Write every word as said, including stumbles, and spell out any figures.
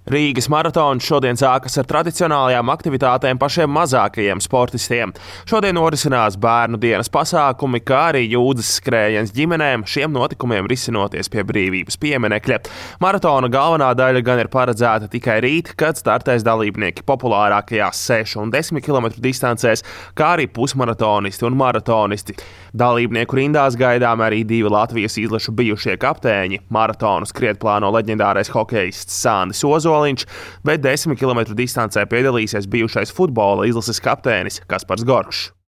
Rīgas maratons šodien sākas ar tradicionālajām aktivitātēm pašiem mazākajiem sportistiem. Šodien norisinās bērnu dienas pasākumi, kā arī jūdzes skrējiens ģimenēm, šiem notikumiem risinoties pie brīvības pieminekļa. Maratona galvenā daļa gan ir paredzēta tikai rīt, kad startēs dalībnieki populārākajās sešu un desmit kilometru distancēs, kā arī pusmaratonisti un maratonisti. Dalībnieku rindās gaidām arī divi Latvijas izlašu bijušie kapteiņi. Maratonu skriet plāno leģendārais hokejists Sandis Ozoliņš, bet desmit kilometru distancē piedalīsies bijušais futbola izlases kapteinis Kaspars Gorkšs.